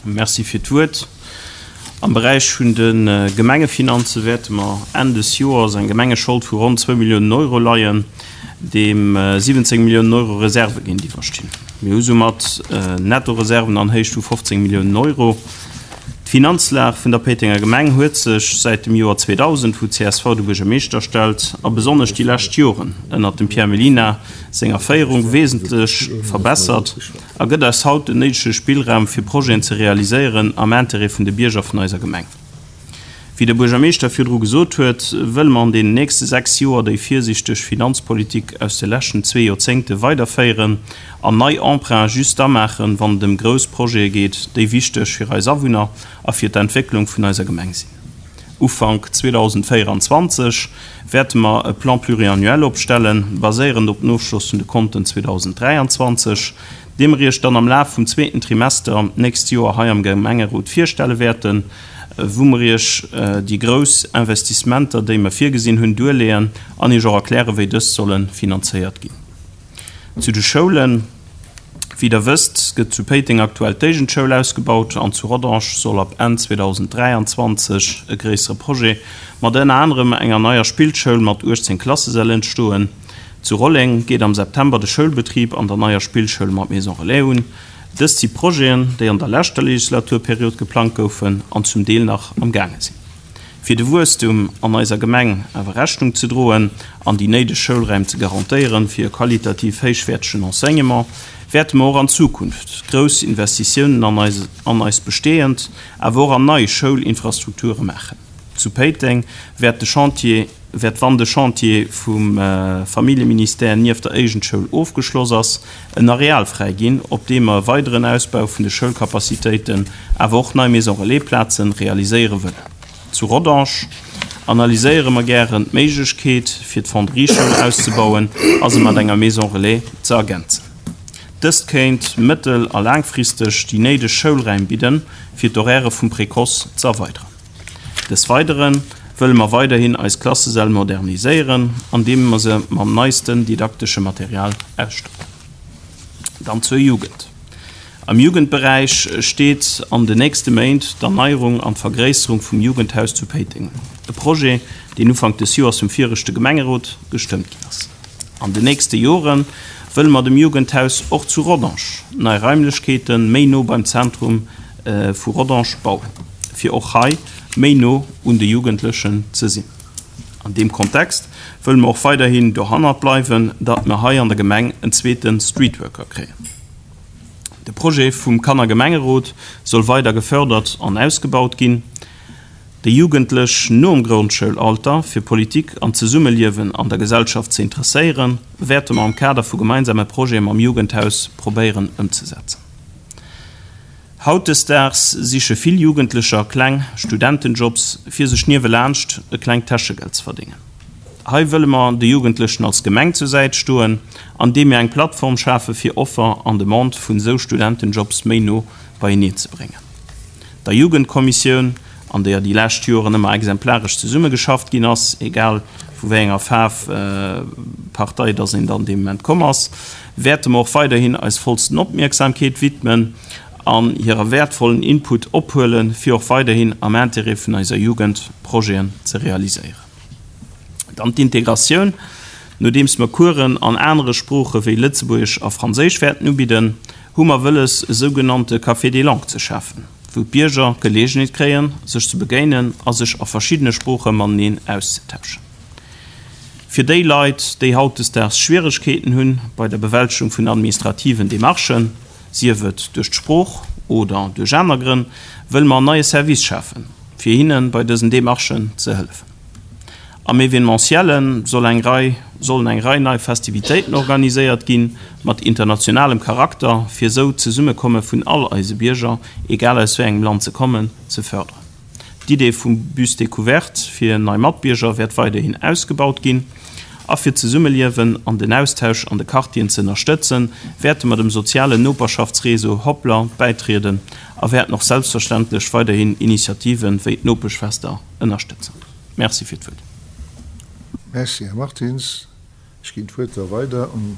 Merci fir d'Wuert. Am Beräich vun de Gemengefinanze wäerte mer Enn des Joers eng Gemengeschold vu ronn zwou Milliounen Euro leien, deem 17 Milliounen Euro Reserve géintiwwer stinn. Mir hu soumat Nettoreserven an Héicht vu 15 Milliounen Euro. D'Finanzlag vun der Péitenger Gemeng huet sech säit dem Joer 2000, wou csv de Buergermeeschter stellt, a besonnesch déi lescht Joren ënnert dem Pierre Mellina senger Féierung, wesentlech verbessert a gëtt eis haut den néidege Spillraum fir Projeten ze realiséieren am Intérêt vun de Bierger vun eiser Gemeng. Wéi de Buergermeeschter virdru gesot huet, wëlle mer an deenen nächste 6 Joer déi virsichteg Finanzpolitik aus de leschten zwee Joerzéngte weiderféieren an nei Emprunte just da maachen, wann et ëm grouss Projete geet, déi wichteg fir eis Awunner a fir d'Entwécklung vun eiser Gemeng sinn. Ufank 2024 wäerte mer e Plan pluriannuel opstellen, baséierend op den Ofschloss vun de Konten 2023, dee mer Iech dann am Laf vum zweeten Trimester d'nächst Joer hei am Gemengerot virstelle wäerten, wou mer Iech déi grouss Investissementer, déi mer virgesinn hunn, duerleeën an Iech och erklären, wéi dës solle finanzéiert ginn. Zu de Schoulen, Wéi Der wësst, gëtt zu Péiteng aktuell d'Éigendschoul ausgebaut an zu Rodange soll ab Enn 2023 e gréissere Projet mat ënner anerem enger neier Spillschoul mat 18 Klassesäll entstoen. Zu Rolleng geet am September de Schoulbetrib an der neier Spillschoul mat Maison Relais un. Dëst si Projeten, déi an der leschter Legislaturperiod geplangt goufen an zum Deel nach am gaange sinn. Fir de Wuesstum an eiser Gemeng awer Rechnung ze droen an déi néideg Schoulräim ze garantéieren fir e qualitativ héichwäertegen Enseignement, wäerte mer och an Zukunft grouss Investitiounen an eis an eis bestehend, awer och an nei Schoulinfrastrukture maachen. Zu Péiteng wäert de Chantier wäert, wann de Chantier vum Familljeministère nieft der Éigendschoul ofgeschloss ass, en Areal fräi ginn, op deem mer e weideren Ausbau vun de Schoulcapacitéiten, awer och nei Maison Relais-Plazen realiséiere wëllen. Zu Rodange analyséiere mer gären d'Méiglechkeet, fir d'Fonderie-Schoul auszebauen a se mat enger Maison Relais ze ergänzen. Dëst kéint mëttel a laangfristeg déi néideg Schoulräim bidden, fir d'Horairë vum Précoce ze erweideren. Des Weidere wëlle mer weiderhin eis Klassesäll moderniséieren, andeem mer se mam neisten didaktesche Material ausstatten. Dann zur Jugend. Am Jugendberäich steet an de nächste Méint d'Erneierung an d'Vergréisserung vum Jugendhaus zu Péiteng un, e Projet, deen Ufank des Joers vum viregte Gemengerot gestëmmt ginn ass. An de nächste Jore wëlle mer dem Jugendhaus och zu Rodange nei Raimlechkeete méi no beim Zentrum vu Rodange bauen, fir och hei méi no un de Jugendlechen ze sinn. An deem Kontext wëlle mer och weiderhin dohannert bleiwen, datt mer hei an der Gemeng en zweete Streetworker kréien. De Projet vum Kannergemengerot soll weider gefördert an ausgebaut ginn. Déi Jugendlech nom Grondschoulalter fir Politik an d'Zesummeliewen an der Gesellschaft ze interesséieren, wäerte mer am Kader vu gemeinsame Projete mam Jugendhaus probéieren ëmzesetzen. Hautdesdaags siche vill Jugendlecher kleng Studentenjobs, fir sech niewelaanscht e klengt Täschegeld ze verdéngen. Hei wëlle mer de Jugendlechen als Gemeng zur Säit stoen, andeem mir eng Plattform schafe fir Offer an Demande vun esou Studentenjobs méi no beieneen ze bréngen. Der Jugendkommissioun, an deeër déi lescht Joren ëmmer exemplaresch zesummegeschafft ginn ass, egal vu wéi enger Faarf, Partei dass een dann dee Moment komm ass, wäerte mer och weiderhin eis vollsten Opmierksamkeet widmen an hire wäertvollen Input ophuelen, fir och weiderhin am Intérêt vun eiser Jugend Projeten ze realiséieren. Dann d'Integratioun, Nodeems mer Coursen an anere Sprooche wéi Lëtzebuergesch a Franséisch wäerten ubidden, hu mer wëlles, e sougenannte Café des langues ze schafen, wou d'Bierger d'Geleegenheet kréien, sech ze begéinen a sech a verschiddene Sprooche mateneen auszetauschen. Fir déi Leit, déi hautdesdaags Schwieregkeeten hunn bei der Bewältegung vun administrativen Demarchen, sief et duerch d'Sprooch oder duerch aner Grënn, wëlle mer en neie Service schafen, fir hinne bei dësen Demarchen ze hëllefen. Am Evenementielle soll eng Rei sollen eng Rei nei Festivitéiten organiséiert ginn, mat internationalem Charakter, fir esou d'Zesummekomme vun all eise Bierger, egal aus wéi engem Land se kommen, ze fërderen. D'Idee vum Bus découverte fir nei Matbierger wäert weiderhin ausgebaut ginn. A fir d'Zesummeliewen an den Austausch an de Quartieren ze ënnerstëtzen, wäerte mer dem sozialen Noperschaftsreseau Hoplr bäitrieden a wäerten och selbstverständlech weiderhin Initiative wéi d'Nopeschfester ënnerstëtzen. Merci fir d'Wuert. Merci, Här Martins. Ech ginn d'Wuert da weider un